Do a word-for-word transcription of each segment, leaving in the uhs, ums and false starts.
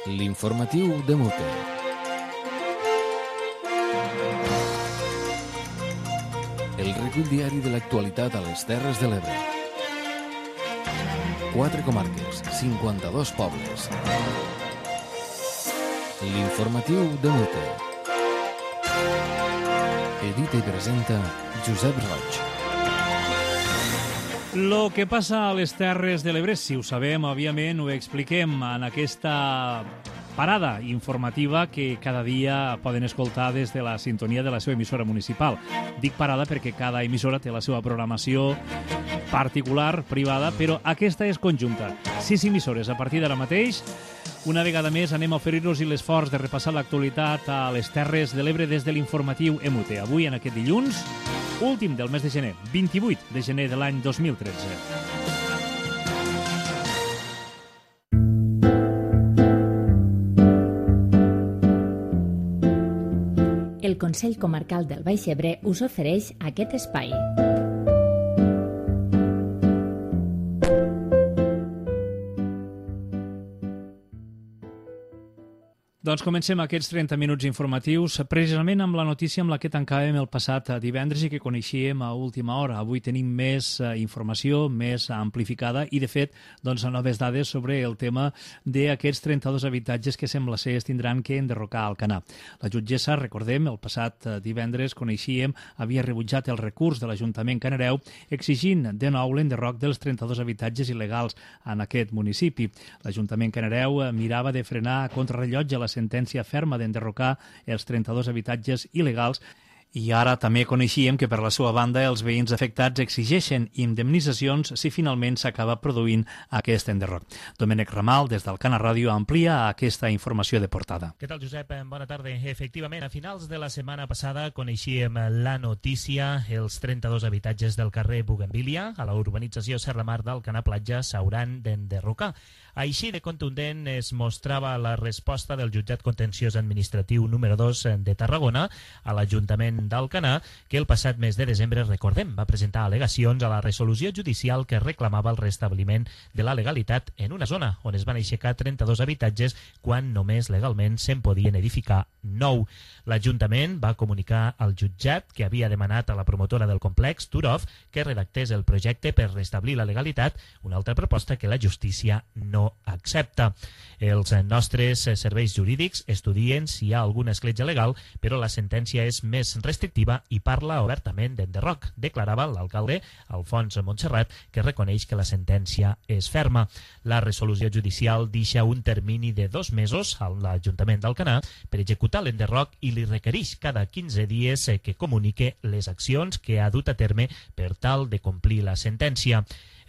L'informatiu de Mute. El recull diari de l'actualitat a les Terres de l'Ebre. Quatre comarques, cinquanta-dos pobles. L'informatiu de Mute. Edita i presenta Josep Roig. Lo que passa a les Terres de l'Ebre, si ho sabem, òbviament ho expliquem en aquesta parada informativa que cada dia poden escoltar des de la sintonia de la seva emissora municipal. Dic parada perquè cada emissora té la seva programació particular, privada, però aquesta és conjunta. Sis emissores a partir d'ara mateix. Una vegada més anem a oferir-nos l'esforç de repassar l'actualitat a les Terres de l'Ebre des de l'informatiu E M U T E. Avui, en aquest dilluns, últim del mes de gener, vint-i-vuit de gener de l'any dos mil tretze. El Consell Comarcal del Baix Ebre us ofereix aquest espai. Doncs comencem aquests trenta minuts informatius precisament amb la notícia amb la que tancàvem el passat divendres i que coneixíem a última hora. Avui tenim més informació, més amplificada i, de fet, doncs, noves dades sobre el tema d'aquests trenta-dos habitatges que sembla ser es tindran que enderrocar al Alcanar. La jutgessa, recordem, el passat divendres coneixíem, havia rebutjat el recurs de l'Ajuntament Canareu exigint de nou l'enderroc dels trenta-dos habitatges il·legals en aquest municipi. L'Ajuntament Canareu mirava de frenar a contrarrellotge la sentència ferma d'enderrocar els trenta-dos habitatges il·legals i ara també coneixíem que per la seva banda els veïns afectats exigeixen indemnitzacions si finalment s'acaba produint aquest enderroc. Domènec Ramal, des del Cana Ràdio, amplia aquesta informació de portada. Què tal, Josep? Bona tarda. Efectivament, a finals de la setmana passada coneixíem la notícia. Els trenta-dos habitatges del carrer Bugambilia, a la urbanització Serramar d'Alcanar Platja, s'hauran d'enderrocar. Així de contundent es mostrava la resposta del jutjat contenciós administratiu número dos de Tarragona a l'Ajuntament d'Alcanar, que el passat mes de desembre, recordem, va presentar al·legacions a la resolució judicial que reclamava el restabliment de la legalitat en una zona on es van aixecar trenta-dos habitatges quan només legalment se'n podien edificar nou. L'Ajuntament va comunicar al jutjat que havia demanat a la promotora del complex, Turov, que redactés el projecte per restablir la legalitat, una altra proposta que la justícia no accepta. Els nostres serveis jurídics estudien si hi ha alguna escletxa legal, però la sentència és més restrictiva i parla obertament d'enderroc, declarava l'alcalde Alfons Montserrat, que reconeix que la sentència és ferma. La resolució judicial deixa un termini de dos mesos a l'Ajuntament d'Alcanar per executar l'enderroc i li requereix cada quinze dies que comunique les accions que ha dut a terme per tal de complir la sentència.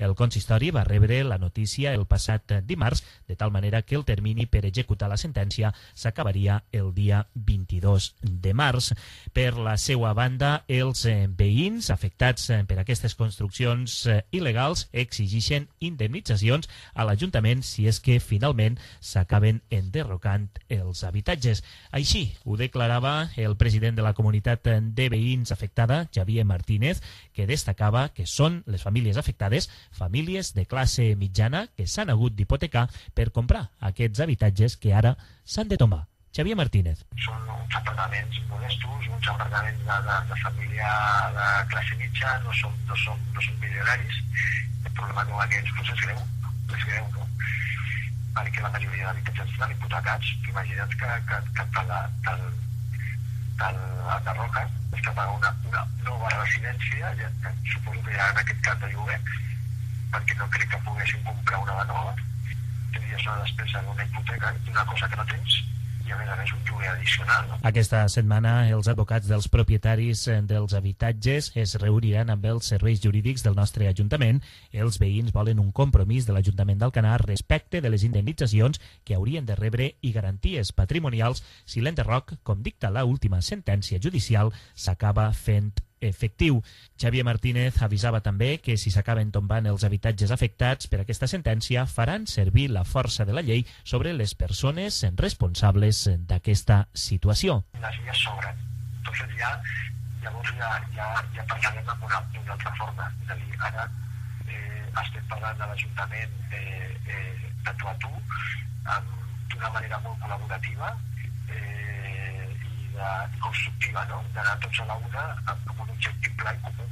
El consistori va rebre la notícia el passat dimarts, de tal manera que el termini per executar la sentència s'acabaria el dia vint-i-dos de març. Per la seva banda, els veïns afectats per aquestes construccions il·legals exigeixen indemnitzacions a l'Ajuntament si és que finalment s'acaben enderrocant els habitatges. Així ho declarava el president de la comunitat de veïns afectada, Xavier Martínez, que destacava que són les famílies afectades famílies de classe mitjana que s'han hagut d'hipotecar per comprar aquests habitatges que ara s'han de tombar. Xavier Martínez. Són uns apartaments modestos, uns apartaments de, de, de família de classe mitja, no són, no són, no són milionaris. El problema com aquests doncs és greu, és greu, no? Perquè la majoria d'habitatges estan hipotecats. Imagina't que, que, que te'l enderroquen, és que paga una, una nova residència, ja, suposo que ja en aquest cas de lloguer, perquè no crec que poguessin comprar una de nova. Tindries una despesa d'una hipoteca, una cosa que no tens, i a més a més un lloguer addicional. No? Aquesta setmana els advocats dels propietaris dels habitatges es reuniran amb els serveis jurídics del nostre Ajuntament. Els veïns volen un compromís de l'Ajuntament d'Alcanar respecte de les indemnitzacions que haurien de rebre i garanties patrimonials si l'enderroc, com dicta la última sentència judicial, s'acaba fent efectiu. Xavier Martínez avisava també que si s'acaben tombant els habitatges afectats per aquesta sentència faran servir la força de la llei sobre les persones responsables d'aquesta situació. Les illes sobren. Entonces ja, llavors ja, ja, ja parlarem amb una, una altra forma. És a dir, ara eh, estem parlant de l'Ajuntament eh, eh, de tu a tu, amb d'una manera molt col·laborativa eh, i, de, i constructiva, no? D'anar tots a la una amb, amb un objectiu clar i comú.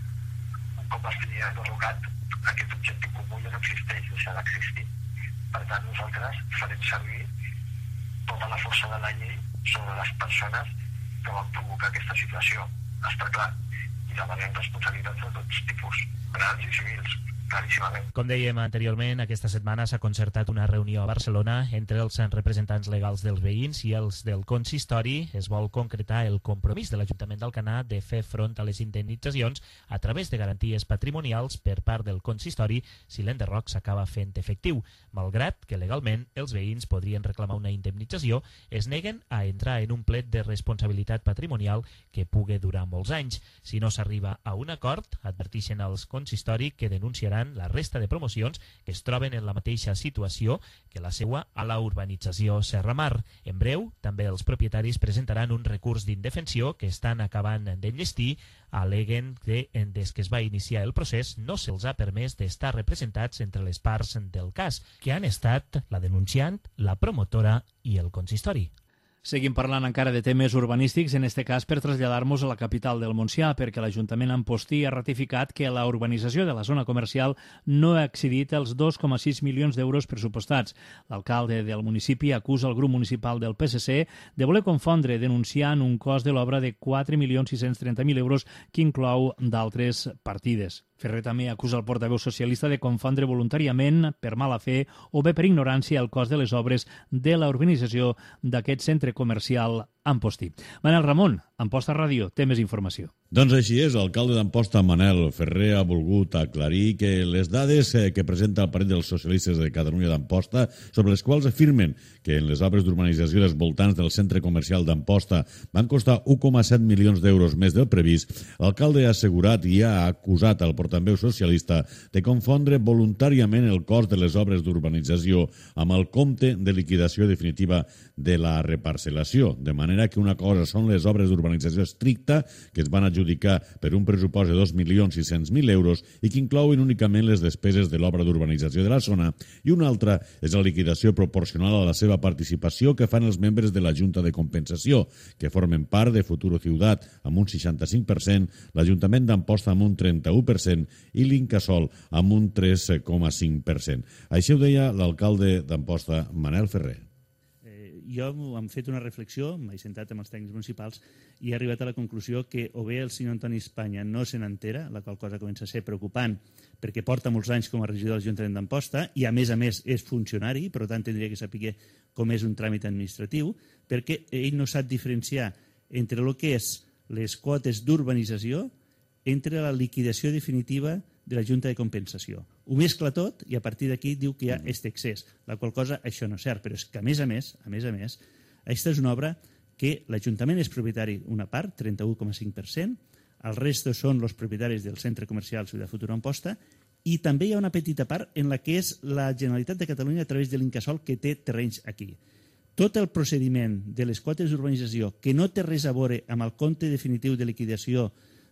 Un cop es tenia derrocat, aquest objectiu comú ja no existeix, deixa d'existir. Per tant, nosaltres farem servir tota la força de la llei sobre les persones que van provocar aquesta situació. Està clar. I demanem responsabilitats de tots tipus, penals i civils. Com dèiem anteriorment, aquesta setmana s'ha concertat una reunió a Barcelona entre els representants legals dels veïns i els del consistori. Es vol concretar el compromís de l'Ajuntament d'Alcanar de fer front a les indemnitzacions a través de garanties patrimonials per part del consistori si l'enderroc s'acaba fent efectiu. Malgrat que legalment els veïns podrien reclamar una indemnització, es neguen a entrar en un plet de responsabilitat patrimonial que pugui durar molts anys. Si no s'arriba a un acord, advertixen als consistori que denunciaran la resta de promocions que es troben en la mateixa situació que la seua a la urbanització Serra Mar. En breu, també els propietaris presentaran un recurs d'indefensió que estan acabant d'enllestir. Aleguen que des que es va iniciar el procés no se'ls ha permès d'estar representats entre les parts del cas, que han estat la denunciant, la promotora i el consistori. Seguim parlant encara de temes urbanístics, en este cas per traslladar-nos a la capital del Montsià, perquè l'Ajuntament Amposti ha ratificat que la urbanització de la zona comercial no ha excedit els dos coma sis milions d'euros pressupostats. L'alcalde del municipi acusa el grup municipal del P S C de voler confondre, denunciant un cost de l'obra de quatre milions sis-cents trenta mil euros que inclou d'altres partides. Ferrer també acusa el portaveu socialista de confondre voluntàriament, per mala fe o bé per ignorància, el cost de les obres de la urbanització d'aquest centre comercial Amposti. Manel Ramon, Amposta Ràdio, té més informació. Doncs així és, l'alcalde d'Amposta, Manel Ferrer, ha volgut aclarir que les dades que presenta el Partit dels Socialistes de Catalunya d'Amposta, sobre les quals afirmen que en les obres d'urbanització dels voltants del centre comercial d'Amposta van costar un coma set milions d'euros més del previst, l'alcalde ha assegurat i ha acusat al portaveu socialista de confondre voluntàriament el cost de les obres d'urbanització amb el compte de liquidació definitiva de la reparcel·lació, de manera que una cosa són les obres d'urbanització estricta, que es van adjudicar per un pressupost de dos milions sis-cents mil euros i que inclouen únicament les despeses de l'obra d'urbanització de la zona, i una altra és la liquidació proporcional a la seva participació que fan els membres de la Junta de Compensació, que formen part de Futuro Ciutat amb un seixanta-cinc per cent, l'Ajuntament d'Amposta amb un trenta-u per cent i l'Incasòl amb un tres coma cinc per cent. Així ho deia l'alcalde d'Amposta, Manel Ferrer. Jo hem fet una reflexió, m'he sentat amb els tècnics municipals i he arribat a la conclusió que o bé el senyor Antoni Espanya no se n'entera, la qual cosa comença a ser preocupant perquè porta molts anys com a regidor de l'Ajuntament d'Amposta i a més a més és funcionari, per tant tindria que saber com és un tràmit administratiu, perquè ell no sap diferenciar entre el que és les quotes d'urbanització entre la liquidació definitiva de la Junta de Compensació. Ho mescla tot i a partir d'aquí diu que hi ha aquest excés, la qual cosa això no és cert, però és que a més a més, a més a més, aquesta és una obra que l'Ajuntament és propietari una part, trenta-u coma cinc per cent, el resto són els propietaris del Centre Comercial Ciutat Futura Amposta i també hi ha una petita part en la que és la Generalitat de Catalunya a través de l'Incasòl que té terrenys aquí. Tot el procediment de les quotes d'urbanització que no té res a veure amb el compte definitiu de liquidació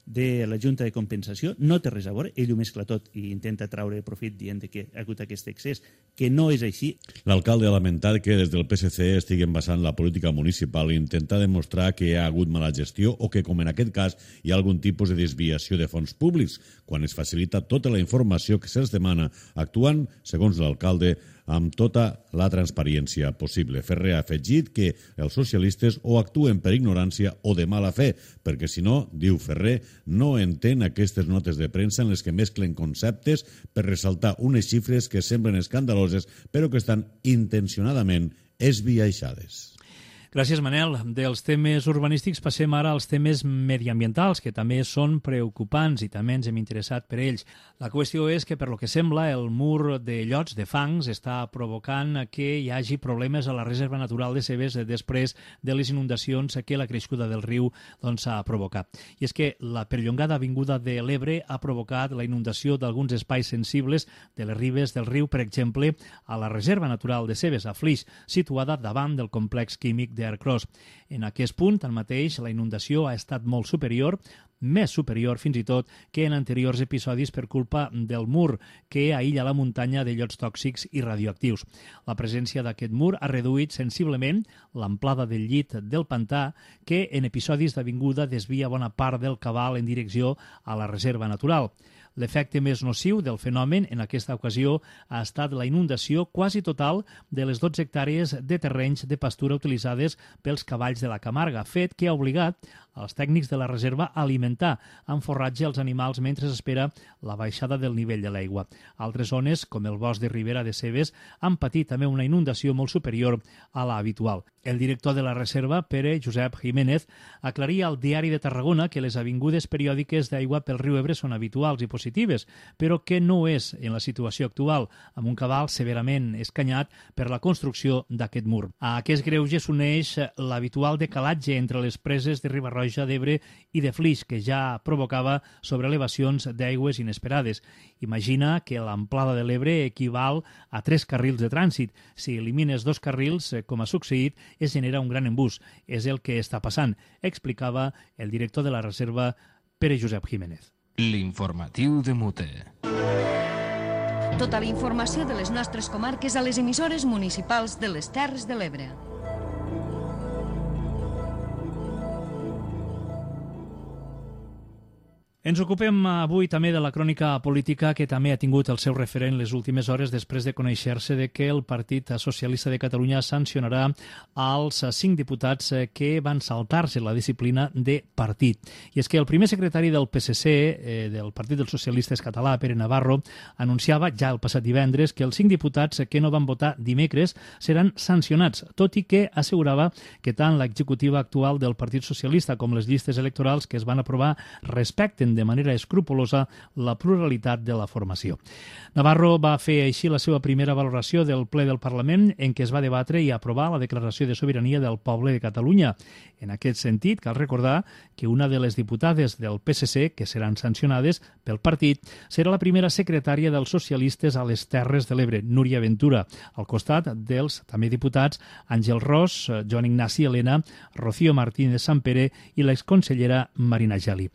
de la Junta de Compensació no té res a veure, ell ho mescla tot i intenta traure profit dient que ha hagut aquest excés, que no és així. L'alcalde ha lamentat que des del P S C estiguen basant la política municipal i intentar demostrar que hi ha hagut mala gestió o que, com en aquest cas, hi ha algun tipus de desviació de fons públics, quan es facilita tota la informació que se'ls demana, actuant, segons l'alcalde, amb tota la transparència possible. Ferrer ha afegit que els socialistes o actuen per ignorància o de mala fe, perquè si no, diu Ferrer, no entén aquestes notes de premsa en les que mesclen conceptes per ressaltar unes xifres que semblen escandaloses però que estan intencionadament esbiaixades. Gràcies, Manel. Dels temes urbanístics passem ara als temes mediambientals, que també són preocupants i també ens hem interessat per ells. La qüestió és que, per lo que sembla, el mur de llots, de fangs, està provocant que hi hagi problemes a la Reserva Natural de Cebes després de les inundacions que la crescuda del riu doncs, ha provocat. I és que la perllongada avinguda de l'Ebre ha provocat la inundació d'alguns espais sensibles de les ribes del riu, per exemple, a la Reserva Natural de Cebes, a Flix, situada davant del complex químic d'Aircross. En aquest punt, tanmateix, la inundació ha estat molt superior, més superior fins i tot que en anteriors episodis per culpa del mur que aïlla la muntanya de llots tòxics i radioactius. La presència d'aquest mur ha reduït sensiblement l'amplada del llit del pantà que en episodis d'avinguda desvia bona part del cabal en direcció a la reserva natural. L'efecte més nociu del fenomen en aquesta ocasió ha estat la inundació quasi total de les dotze hectàrees de terrenys de pastura utilitzades pels cavalls de la Camarga, fet que ha obligat als tècnics de la reserva a alimentar amb forratge els animals mentre s'espera la baixada del nivell de l'aigua. Altres zones, com el bosc de Ribera de Cebes, han patit també una inundació molt superior a la habitual. El director de la reserva, Pere Josep Jiménez, aclaria al Diari de Tarragona que les avingudes periòdiques d'aigua pel riu Ebre són habituals i positives, però que no és en la situació actual, amb un cabal severament escanyat per la construcció d'aquest mur. A aquest greuge s'uneix l'habitual decalatge entre les preses de Riba-roja d'Ebre i de Flix, que ja provocava sobreelevacions d'aigües inesperades. Imagina que l'amplada de l'Ebre equival a tres carrils de trànsit. Si elimines dos carrils, com ha succeït, es genera un gran embús. És el que està passant, explicava el director de la reserva, Pere Josep Jiménez. L'informatiu de Mute. Tota la informació de les nostres comarques a les emissores municipals de les Terres de l'Ebre. Ens ocupem avui també de la crònica política que també ha tingut el seu referent les últimes hores després de conèixer-se de que el Partit Socialista de Catalunya sancionarà als cinc diputats que van saltar-se la disciplina de partit. I és que el primer secretari del P S C, eh, del Partit dels Socialistes Català, Pere Navarro, anunciava ja el passat divendres que els cinc diputats que no van votar dimecres seran sancionats, tot i que assegurava que tant l'executiva actual del Partit Socialista com les llistes electorals que es van aprovar respecten de manera escrupolosa la pluralitat de la formació. Navarro va fer així la seva primera valoració del ple del Parlament en què es va debatre i aprovar la declaració de sobirania del poble de Catalunya. En aquest sentit, cal recordar que una de les diputades del P S C que seran sancionades pel partit serà la primera secretària dels socialistes a les Terres de l'Ebre, Núria Ventura, al costat dels també diputats Àngel Ros, Joan Ignasi Elena, Rocío Martínez Sampere i l'exconsellera Marina Geli.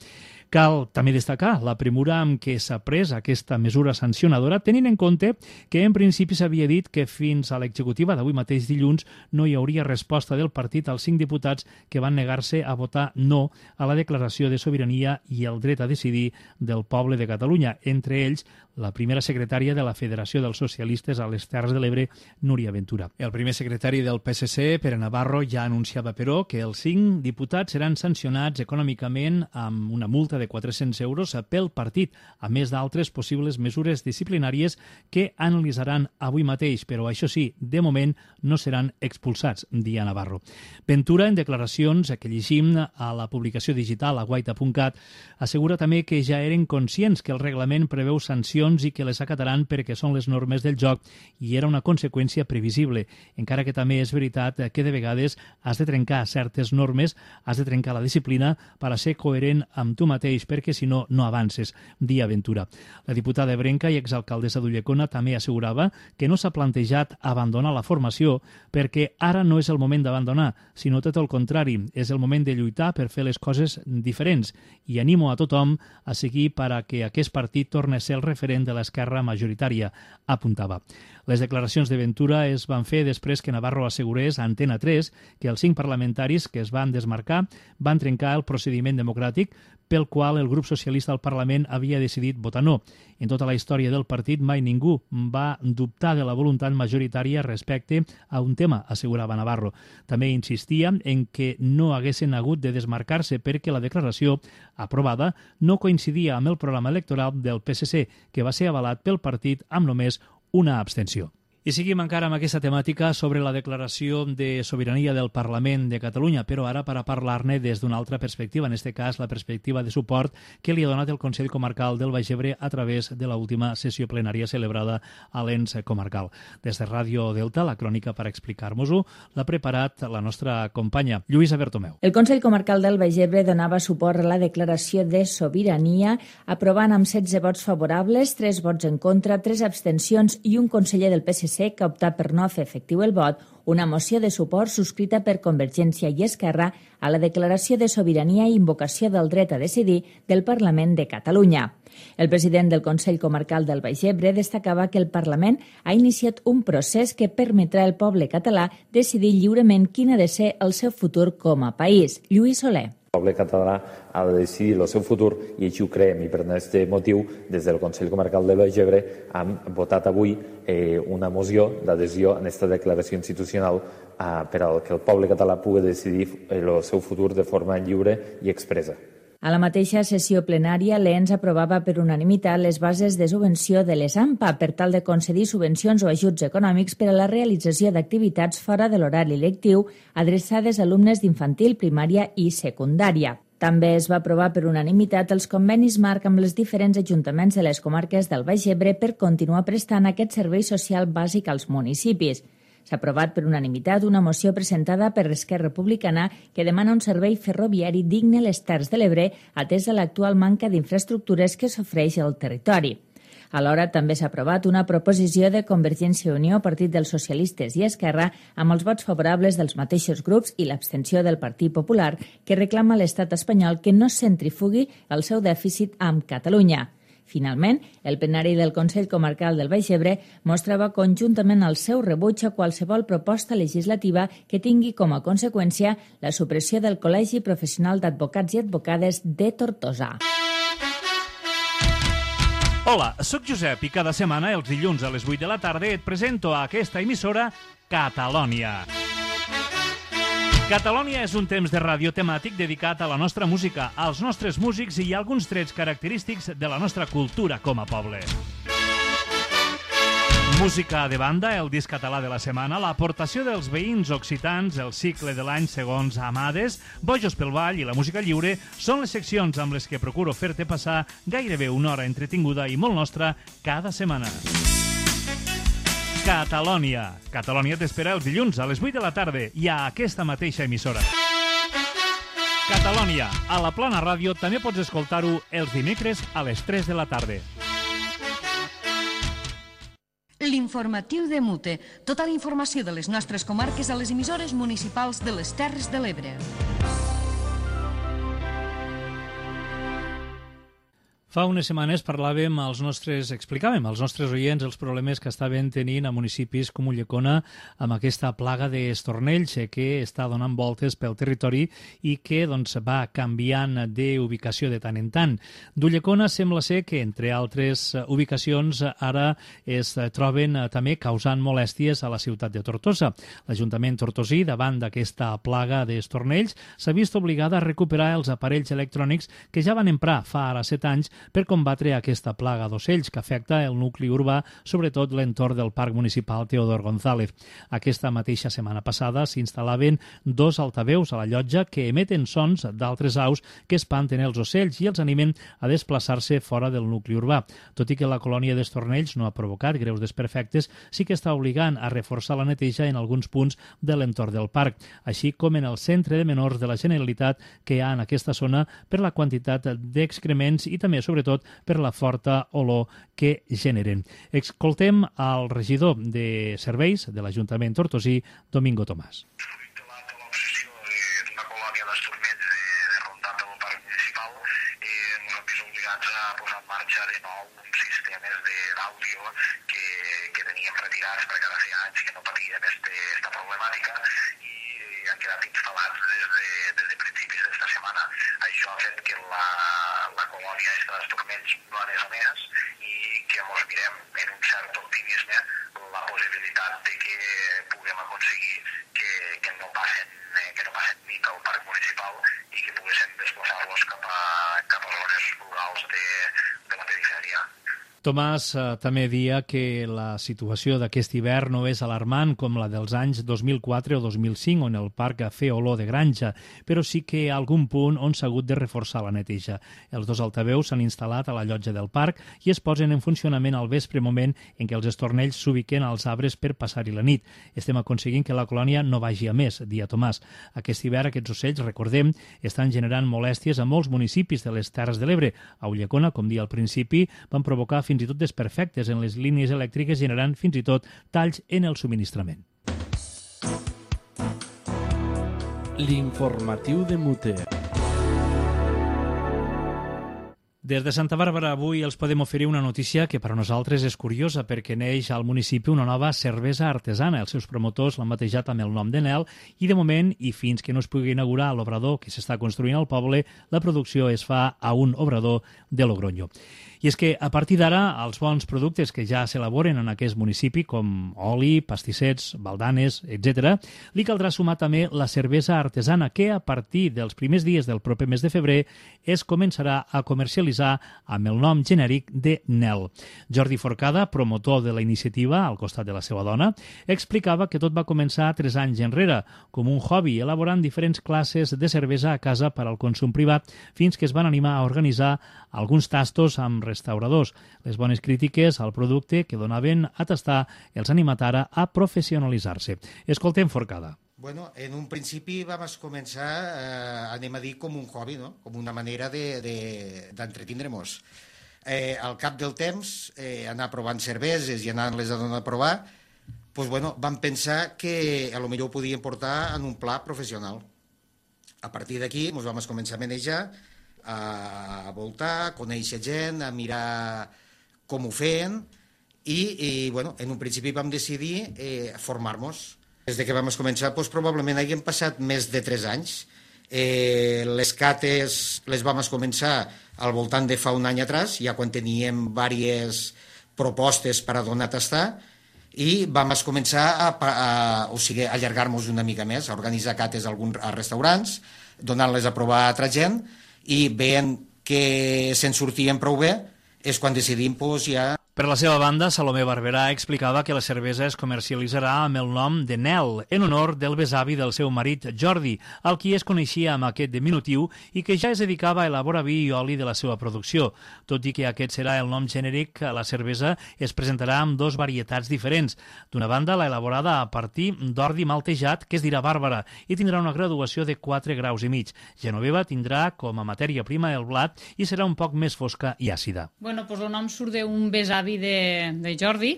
Cal també destacar la premura amb què s'ha pres aquesta mesura sancionadora, tenint en compte que en principi s'havia dit que fins a l'executiva d'avui mateix dilluns no hi hauria resposta del partit als cinc diputats que van negar-se a votar no a la declaració de sobirania i el dret a decidir del poble de Catalunya, entre ells la primera secretària de la Federació dels Socialistes a les Terres de l'Ebre, Núria Ventura. El primer secretari del P S C, Pere Navarro, ja anunciava, però, que els cinc diputats seran sancionats econòmicament amb una multa de quatre-cents euros pel partit, a més d'altres possibles mesures disciplinàries que analitzaran avui mateix, però això sí, de moment no seran expulsats, dia Navarro. Ventura, en declaracions que llegim a la publicació digital a guaita punt cat, assegura també que ja eren conscients que el reglament preveu sancions i que les acataran perquè són les normes del joc i era una conseqüència previsible, encara que també és veritat que de vegades has de trencar certes normes, has de trencar la disciplina per a ser coherent amb tu mateix, perquè si no, no avances, dia Ventura. La diputada ebrenca i exalcaldessa d'Ulldecona també assegurava que no s'ha plantejat abandonar la formació perquè ara no és el moment d'abandonar, sinó tot el contrari, és el moment de lluitar per fer les coses diferents i animo a tothom a seguir per a que aquest partit torni a ser el referent de l'esquerra majoritària, apuntava. Les declaracions de Ventura es van fer després que Navarro assegurés a Antena tres que els cinc parlamentaris que es van desmarcar van trencar el procediment democràtic pel qual el grup socialista al Parlament havia decidit votar no. En tota la història del partit mai ningú va dubtar de la voluntat majoritària respecte a un tema, assegurava Navarro. També insistia en que no haguessin hagut de desmarcar-se perquè la declaració aprovada no coincidia amb el programa electoral del P S C, que va ser avalat pel partit amb només una abstenció. I seguim encara amb aquesta temàtica sobre la declaració de sobirania del Parlament de Catalunya, però ara per a parlar-ne des d'una altra perspectiva, en aquest cas la perspectiva de suport que li ha donat el Consell Comarcal del Baix Ebre a través de l'última sessió plenària celebrada a l'ens comarcal. Des de Ràdio Delta, la crònica per explicar-nos-ho l'ha preparat la nostra companya, Lluïsa Bertomeu. El Consell Comarcal del Baix Ebre donava suport a la declaració de sobirania, aprovant amb setze vots favorables, tres vots en contra, tres abstencions i un conseller del P S C C, que ha optat per no fer efectiu el vot, una moció de suport subscrita per Convergència i Esquerra a la declaració de sobirania i invocació del dret a decidir del Parlament de Catalunya. El president del Consell Comarcal del Baix Ebre destacava que el Parlament ha iniciat un procés que permetrà al poble català decidir lliurement quin ha de ser el seu futur com a país. Lluís Soler. El poble català ha de decidir el seu futur i així ho creiem, i per aquest motiu des del Consell Comarcal del Baix Ebre hem votat avui eh, una moció d'adhesió a aquesta declaració institucional eh, per al que el poble català pugui decidir el seu futur de forma lliure i expressa. A la mateixa sessió plenària, l'E N S aprovava per unanimitat les bases de subvenció de les A M P A per tal de concedir subvencions o ajuts econòmics per a la realització d'activitats fora de l'horari lectiu adreçades a alumnes d'infantil, primària i secundària. També es va aprovar per unanimitat els convenis marc amb els diferents ajuntaments de les comarques del Baix Ebre per continuar prestant aquest servei social bàsic als municipis. S'ha aprovat per unanimitat una moció presentada per Esquerra Republicana que demana un servei ferroviari digne a les Terres de l'Ebre, atès a l'actual manca d'infraestructures que s'ofereix al territori. Alhora, també s'ha aprovat una proposició de Convergència i Unió, Partit dels Socialistes i Esquerra, amb els vots favorables dels mateixos grups i l'abstenció del Partit Popular, que reclama a l'estat espanyol que no centrifugui el seu dèficit amb Catalunya. Finalment, el plenari del Consell Comarcal del Baix Ebre mostrava conjuntament el seu rebuig a qualsevol proposta legislativa que tingui com a conseqüència la supressió del Col·legi Professional d'Advocats i Advocades de Tortosa. Hola, sóc Josep i cada setmana, els dilluns a les vuit de la tarda, et presento a aquesta emissora Catalònia. Catalònia és un temps de ràdio temàtic dedicat a la nostra música, als nostres músics i a alguns trets característics de la nostra cultura com a poble. Música de banda, el disc català de la setmana, l'aportació dels veïns occitans, el cicle de l'any segons Amades, Bojos pel Ball i la música lliure són les seccions amb les que procuro fer-te passar gairebé una hora entretinguda i molt nostra cada setmana. Catalònia. Catalònia t'espera els dilluns a les vuit de la tarda i a aquesta mateixa emissora. Catalònia. A la Plana Ràdio també pots escoltar-ho els dimecres a les tres de la tarda. L'informatiu de Mute. Tota la informació de les nostres comarques a les emissores municipals de les Terres de l'Ebre. Fa unes setmanes parlàvem als nostres, explicàvem als nostres oients els problemes que estaven tenint a municipis com Ulldecona amb aquesta plaga d'estornells que està donant voltes pel territori i que doncs, va canviant d'ubicació de tant en tant. D'Ulldecona sembla ser que, entre altres ubicacions, ara es troben també causant molèsties a la ciutat de Tortosa. L'Ajuntament tortosí, davant d'aquesta plaga d'estornells, s'ha vist obligada a recuperar els aparells electrònics que ja van emprar fa ara set anys per combatre aquesta plaga d'ocells que afecta el nucli urbà, sobretot l'entorn del Parc Municipal Teodor González. Aquesta mateixa setmana passada s'instal·laven dos altaveus a la llotja que emeten sons d'altres aus que espanten els ocells i els animen a desplaçar-se fora del nucli urbà. Tot i que la colònia d'estornells no ha provocat greus desperfectes, sí que està obligant a reforçar la neteja en alguns punts de l'entorn del parc, així com en el centre de menors de la Generalitat que hi ha en aquesta zona per la quantitat d'excrements i també, sobretot, per la forta olor que generen. Escoltem al regidor de serveis de l'Ajuntament tortosí, Domingo Tomàs. L'obsessió d'una colònia d'estornells de rondat del parc municipal, ens hem vist obligats a posar en marxa de nou uns sistemes d'àudio que, que teníem retirats perquè ara feia anys que no patíem aquesta problemàtica i han quedat instal·lats des de, des de principis d'esta setmana. Això ha fet que la, la colònia d'estornells no anés a més i que ens mirem en un cert optimisme la possibilitat de que puguem aconseguir que, que no passen que no passen nit al parc municipal i que poguéssim desplaçar-los cap a, cap a zones rurals de, de la perifèria. Tomàs eh, també dia que la situació d'aquest hivern no és alarmant com la dels anys dos mil quatre o dos mil cinc, on el parc feia olor de granja, però sí que hi ha algun punt on s'ha hagut de reforçar la neteja. Els dos altaveus s'han instal·lat a la llotja del parc i es posen en funcionament al vespre, moment en què els estornells s'ubiquen als arbres per passar-hi la nit. Estem aconseguint que la colònia no vagi a més, dia Tomàs. Aquest hivern aquests ocells, recordem, estan generant molèsties a molts municipis de les Terres de l'Ebre. A Ulldecona, com dia al principi, van provocar fins fins i tot desperfectes en les línies elèctriques, generant fins i tot talls en el subministrament. L'informatiu de Mute. Des de Santa Bàrbara avui els podem oferir una notícia que per a nosaltres és curiosa perquè neix al municipi una nova cervesa artesana. Els seus promotors l'han batejat amb el nom de Nel i de moment, i fins que no es pugui inaugurar l'obrador que s'està construint al poble, la producció es fa a un obrador de Logroño. I és que a partir d'ara els bons productes que ja s'elaboren en aquest municipi, com oli, pastissets, baldanes, etcètera, li caldrà sumar també la cervesa artesana que a partir dels primers dies del proper mes de febrer es començarà a comercialitzar amb el nom genèric de Nel. Jordi Forcada, promotor de la iniciativa al costat de la seva dona, explicava que tot va començar tres anys enrere com un hobby, elaborant diferents classes de cervesa a casa per al consum privat, fins que es van animar a organitzar alguns tastos amb restauradors. Les bones crítiques al producte que donaven a tastar els animat ara a professionalitzar-se. Escoltem Forcada. Bueno, en un principi vam començar, eh, anem a dir, com un hobby, no? Com una manera d'entretindre-nos. Eh, al cap del temps, eh, anar provant cerveses i anar-les a donar a provar, pues, bueno, vam pensar que a lo millor ho podíem portar en un pla professional. A partir d'aquí ens vam començar a manejar, a voltar, a conèixer gent, a mirar com ho feien i, i bueno, en un principi vam decidir eh, formar-nos. Des de que vam començar, doncs, probablement haguem passat més de tres anys. Eh, les cates les vam començar al voltant de fa un any atrás, ja quan teníem diverses propostes per a donar a tastar, i vam començar a, a, o sigui, a allargar-nos una mica més, a organitzar cates a, alguns, a restaurants, donant-les a provar a altra gent, i veient que se'n sortien prou bé, és quan decidim pues, ja... Per la seva banda, Salomé Barberà explicava que la cervesa es comercialitzarà amb el nom de Nel, en honor del besavi del seu marit, Jordi, al qui es coneixia amb aquest diminutiu i que ja es dedicava a elaborar vi i oli de la seva producció. Tot i que aquest serà el nom genèric, la cervesa es presentarà amb dos varietats diferents. D'una banda, la elaborada a partir d'ordi maltejat, que es dirà Bàrbara, i tindrà una graduació de quatre graus i mig. Genoveva tindrà com a matèria prima el blat i serà un poc més fosca i àcida. Bueno, pues el nom surt d'un besavi de, de Jordi,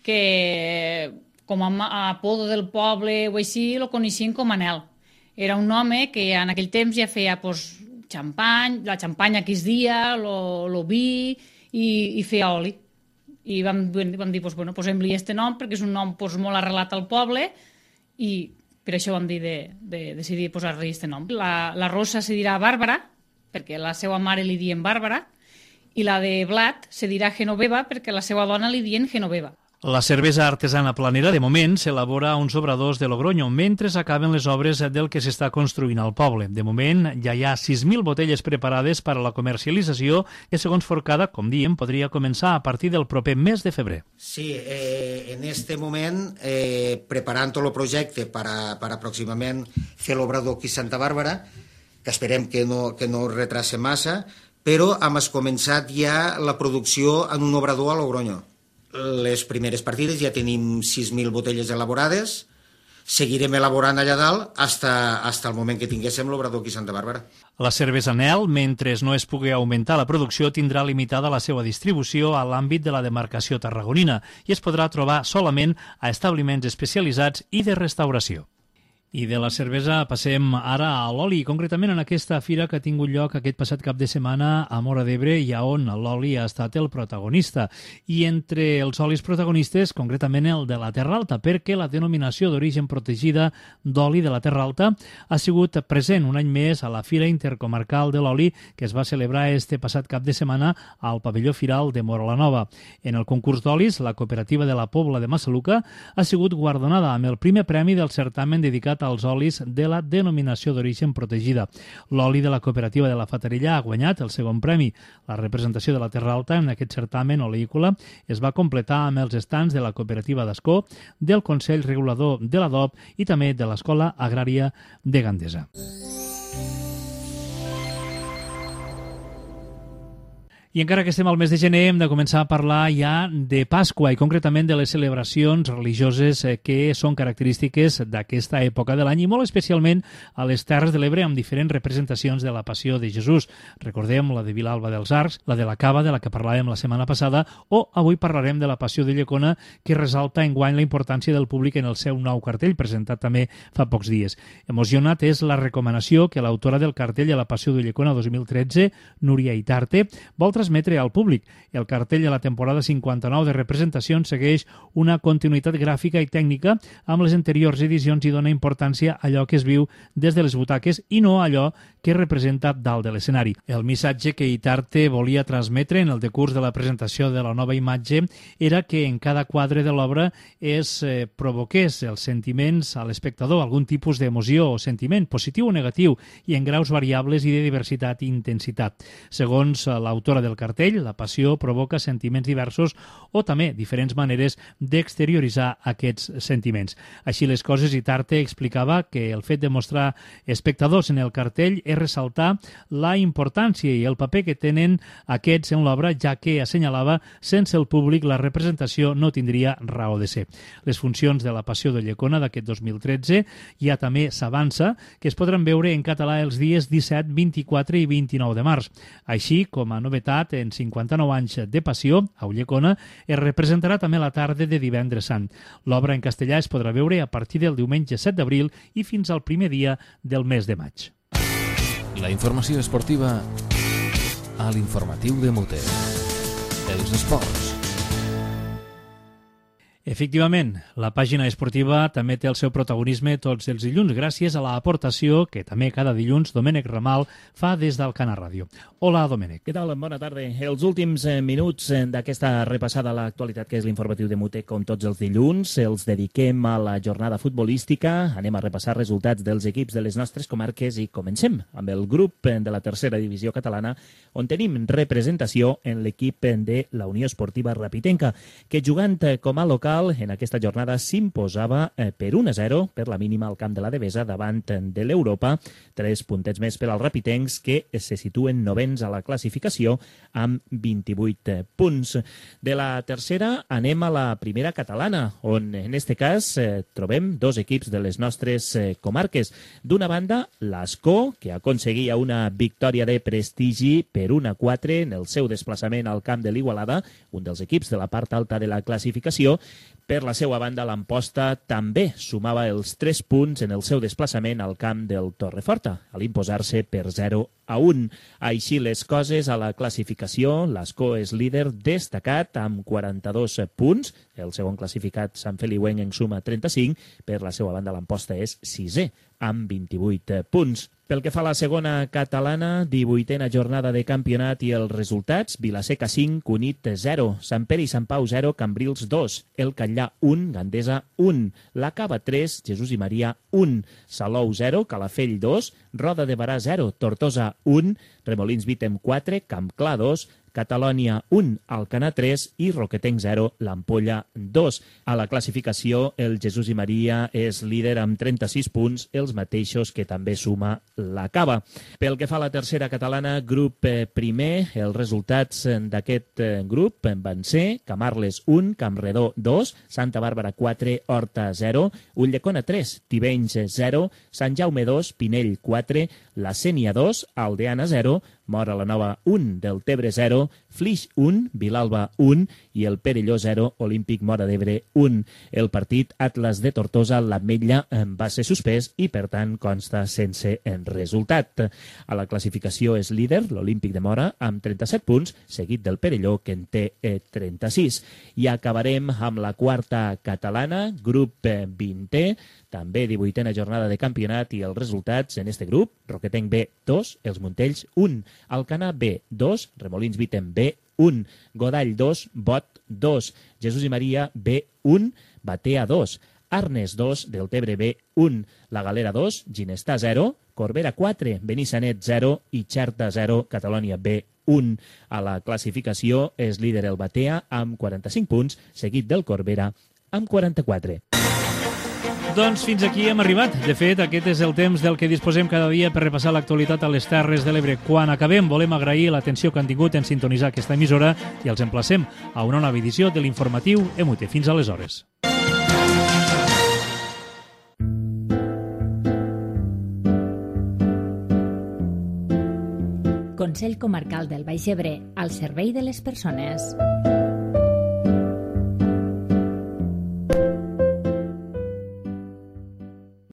que com a apodo del poble o així lo coneixien com a Nel. Era un home que en aquell temps ja feia pues, xampany, la xampanya que es dia, lo, lo vi i, i feia oli. I vam, vam dir, pues, bueno, posem-li este nom perquè és un nom pues, molt arrelat al poble i per això vam dir de, de decidir posar-li este nom. La, la rosa se dirà Bàrbara, perquè la seva mare li dien Bàrbara, i la de blat se dirà Genoveva perquè la seva dona li dien Genoveva. La cervesa artesana planera, de moment, s'elabora a uns obradors de Logroño, mentre s'acaben les obres del que s'està construint al poble. De moment, ja hi ha sis mil botelles preparades per a la comercialització que, segons Forcada, com diem, podria començar a partir del proper mes de febrer. Sí, eh, en este moment, eh, preparant tot el projecte per, a, per aproximament fer l'obrador aquí a Santa Bàrbara, que esperem que no, que no retrase massa, però hem començat ja la producció en un obrador a Logroño. Les primeres partides ja tenim sis mil botelles elaborades, seguirem elaborant allà dalt fins al moment que tinguéssim l'obrador aquí a Santa Bàrbara. La cervesa Nel, mentre no es pugui augmentar la producció, tindrà limitada la seva distribució a l'àmbit de la demarcació tarragonina i es podrà trobar solament a establiments especialitzats i de restauració. I de la cervesa passem ara a l'oli, concretament en aquesta fira que ha tingut lloc aquest passat cap de setmana a Móra d'Ebre i on l'oli ha estat el protagonista. I entre els olis protagonistes, concretament el de la Terra Alta, perquè la denominació d'origen protegida d'oli de la Terra Alta ha sigut present un any més a la Fira Intercomarcal de l'Oli que es va celebrar este passat cap de setmana al pavelló firal de Móra la Nova. En el concurs d'olis, la cooperativa de la Pobla de Massaluca ha sigut guardonada amb el primer premi del certamen dedicat als olis de la denominació d'origen protegida. L'oli de la cooperativa de la Fatarella ha guanyat el segon premi. La representació de la Terra Alta en aquest certamen oleícola es va completar amb els estants de la cooperativa d'Ascó, del Consell Regulador de l'Adob i també de l'Escola Agrària de Gandesa. I encara que estem al mes de gener, hem de començar a parlar ja de Pasqua i concretament de les celebracions religioses que són característiques d'aquesta època de l'any i molt especialment a les Terres de l'Ebre amb diferents representacions de la Passió de Jesús. Recordem la de Vilalba dels Arcs, la de la Cava, de la que parlàvem la setmana passada, o avui parlarem de la Passió de Llecona, que resalta enguany la importància del públic en el seu nou cartell, presentat també fa pocs dies. Emocionat és la recomanació que l'autora del cartell a la Passió de Llecona dos mil tretze, Núria Itarte, vol transmetre al públic. El cartell de la temporada cinquanta-nou de representacions segueix una continuïtat gràfica i tècnica amb les anteriors edicions i dona importància a allò que es viu des de les butaques i no a allò que representa dalt de l'escenari. El missatge que Itarte volia transmetre en el decurs de la presentació de la nova imatge era que en cada quadre de l'obra es eh, provoqués els sentiments a l'espectador, algun tipus d'emoció o sentiment, positiu o negatiu, i en graus variables i de diversitat i intensitat. Segons l'autora del cartell, la passió provoca sentiments diversos o també diferents maneres d'exterioritzar aquests sentiments. Així les coses, Itarte explicava que el fet de mostrar espectadors en el cartell és ressaltar la importància i el paper que tenen aquests en l'obra, ja que assenyalava sense el públic la representació no tindria raó de ser. Les funcions de la Passió de Llecona d'aquest dos mil tretze ja també s'avança, que es podran veure en català els dies disset, vint-i-quatre i vint-i-nou de març. Així, com a novetat, en cinquanta-nou anys de Passió, a Ulldecona, es representarà també la tarda de Divendres Sant. L'obra en castellà es podrà veure a partir del diumenge set d'abril i fins al primer dia del mes de maig. La informació esportiva a l'informatiu de Mute. Els esports. Efectivament, la pàgina esportiva també té el seu protagonisme tots els dilluns gràcies a l'aportació que també cada dilluns Domènec Ramal fa des d'Alcana Ràdio. Hola, Domènec. Què tal? Bona tarda. Els últims minuts d'aquesta repassada a l'actualitat que és l'informatiu de Mute, com tots els dilluns, els dediquem a la jornada futbolística. Anem a repassar resultats dels equips de les nostres comarques i comencem amb el grup de la tercera divisió catalana, on tenim representació en l'equip de la Unió Esportiva Rapitenca, que jugant com a local en aquesta jornada s'imposava per un a zero per la mínima al camp de la Devesa davant de l'Europa. Tres puntets més per als rapitencs que se situen novens a la classificació amb vint-i-vuit punts. De la tercera anem a la primera catalana, on en este cas eh, trobem dos equips de les nostres eh, comarques. D'una banda, l'Ascó, que aconseguia una victòria de prestigi per un a quatre en el seu desplaçament al camp de l'Igualada, un dels equips de la part alta de la classificació. Per la seva banda, l'Amposta també sumava els tres punts en el seu desplaçament al camp del Torreforta, a l'imposar-se per zero a un. Així les coses a la classificació, l'Ascó és líder destacat amb quaranta-dos punts, el segon classificat Sant Feliuenc en suma trenta-cinc, per la seva banda l'Amposta és sisè amb vint-i-vuit punts. Pel que fa a la segona catalana, divuitena jornada de campionat i els resultats: Vilaseca cinc, Cunit zero, Sant Pere i Sant Pau zero, Cambrils dos, El Catllà un, Gandesa un, La Cava tres, Jesús i Maria un, Salou zero, Calafell dos, Roda de Barà zero, Tortosa un, Remolins Vitem quatre, Campclar dos, Catalònia un, Alcanar tres i Roquetenc zero, l'Ampolla dos. A la classificació, el Jesús i Maria és líder amb trenta-sis punts, els mateixos que també suma la Cava. Pel que fa a la tercera catalana, grup primer, els resultats d'aquest grup van ser Camarles un, Campredó dos, Santa Bàrbara quatre, Horta zero, Ulldecona tres, Tivenys zero, Sant Jaume dos, Pinell quatre, La Sénia dos, Aldeana zero, Mora la Nova un, Deltebre zero, Flix un, Vilalba un i el Perelló zero, Olímpic Móra d'Ebre un. El partit Atlas de Tortosa, l'Ametlla, va ser suspès i per tant consta sense resultat. A la classificació és líder l'Olímpic de Móra amb trenta-set punts, seguit del Perelló que en té trenta-sis. I acabarem amb la quarta catalana, grup vintè, també divuitena jornada de campionat i els resultats en este grup: Roquetenc B dos, Els Montells un, Alcanar B dos, Remolins Vitem B un, Godall dos, Bot dos, Jesús i Maria B un, Batea dos, Arnes dos, Deltebre B un, La Galera dos, Ginestà zero, Corbera quatre, Benissanet zero i Xerta zero, Catalònia B un. A la classificació és líder el Batea amb quaranta-cinc punts, seguit del Corbera amb quaranta-quatre. Doncs fins aquí hem arribat. De fet, aquest és el temps del que disposem cada dia per repassar l'actualitat a les Terres de l'Ebre. Quan acabem, volem agrair l'atenció que han tingut en sintonitzar aquesta emissora i els emplacem a una nova edició de l'informatiu E M U T E. Fins aleshores. Consell Comarcal del Baix Ebre, al servei de les persones.